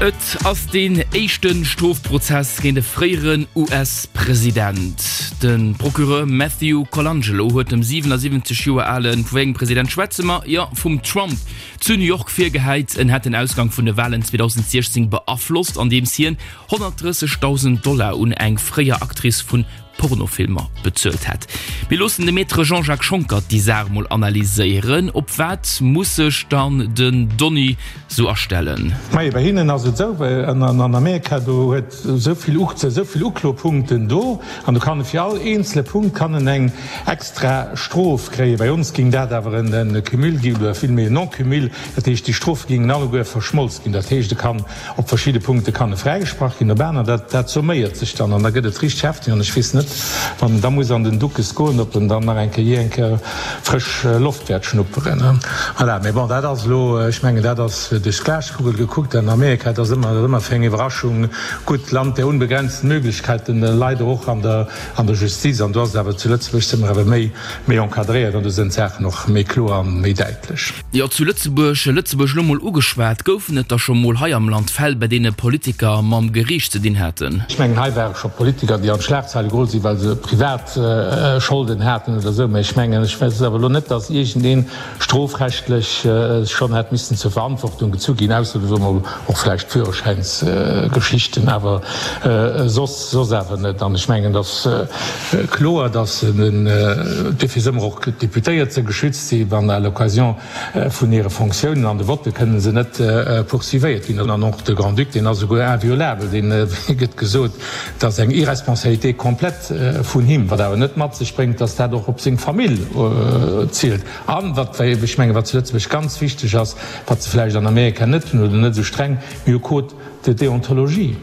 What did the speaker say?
Et ass deen éischte Strofprozess géint e fréieren US-President. De Procureur Matthew Colangelo huet dem 77 Joer ale, vu wéi engem President schwätze mer? Jo, vum Trump, zu New York virgehäit, en hätt den Ausgang vun de Walen 2016 beaflosst, andeems hien 130.000 Dollar un eng fréier Actrice vun Pornofilmer bezuelt hätt. Mir loossen de Maître Jean-Jacques Schonckert déi Saach mol analyséieren. Op wat muss sech dann den Donny sou astellen? Majo, bei hinnen ass et esou, well an Amerika do huet esou vill esou vill Uklopunkten do an do kann e fir all eenzele Punkt kann en eng extra Strof kréien. Bei ons géing dat awer en Cumul ginn oder villméi en Non-Cumul, dat heescht déi Strofe géingen alleguer verschmolz ginn. Dat heescht e kann Op verschidde Punkte kann e fräigesprach ginn, op aner, dat, dat somméiert sech dann an da gëtt et richteg hefteg an ech weess net, wann en da muss an den Duckes goen, ob en dann nach eng Kéier jee eng Kéier frësch Loft wäert schnupperen. Voilà, mee bon, dat ass elo, ech mengen, dat ass duerch d'Glaskugel gekuckt. An Amerika, dat ass ëmmer, dat ass ëmmer fir eng Iwwerraschung gutt, Land der unbegrenzten Möglichkeiten, leider och an der, an der Justiz. An do ass et awer, zu Lëtzebuerg si mer awer méi, méi encadréiert an do sinn d'Saachen och méi kloer an méi däitlech. Jo, zu Lëtzebuerg, Lëtzebuerg elo mol ugeschwat, goufen et da scho mol hei am Land Fäll, bei deene Politiker mam Geriicht ze dinn haten? Ech mengen, hei ware scho Politiker, déi an d'Schlagzeile geholl sinn, well se privat Scholden haten oder esou. Mä ech mengen, ech weess awer elo net, datt iergendee strofrechtlech schonn hätt missen zur Verantwortung gezu ginn, ausser, soe mer mol, och vläicht Führerschäinsgeschichten, awer soss, soss awer net. An ech mengen, et ass kloer, datt den, duerfir si mer och d'Deputéiert se geschützt si wann à l'occasion vun hire Fonctiounen an de Votte kënnen se net poursuivéiert ginn. An och de Grand-Duc, deen ass esouguer inviolabel, deen gëtt gesot, dat ass eng Irresponsabilité complète vun him, wat awer net mat sech bréngt, datt dat och op seng Famill zielt. An wat, ech mengen, wat zu Lëtzebuerg ganz wichteg ass, wat se vläicht an Amerika net hunn oder net esou streng, mir hu Code de déontologie.